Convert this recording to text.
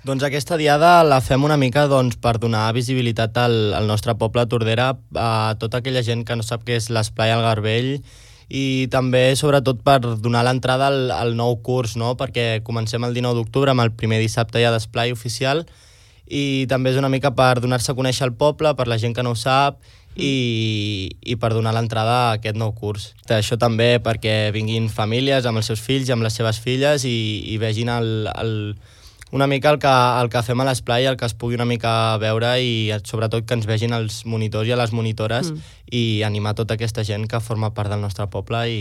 Doncs aquesta diada la fem una mica per donar visibilitat al nostre poble Tordera, a tota aquella gent que no sap què és l'Esplai al Garbell, i també, sobretot, per donar l'entrada al nou curs, no? Perquè comencem el 19 d'octubre amb el primer dissabte ja d'esplai oficial, i també és una mica per donar-se a conèixer el poble, per la gent que no ho sap, i per donar l'entrada a aquest nou curs. Això també perquè vinguin famílies amb els seus fills i amb les seves filles i vegin una mica el que fem a l'esplai, el que es pugui una mica veure i sobretot que ens vegin els monitors i a les monitores i animar tota aquesta gent que forma part del nostre poble i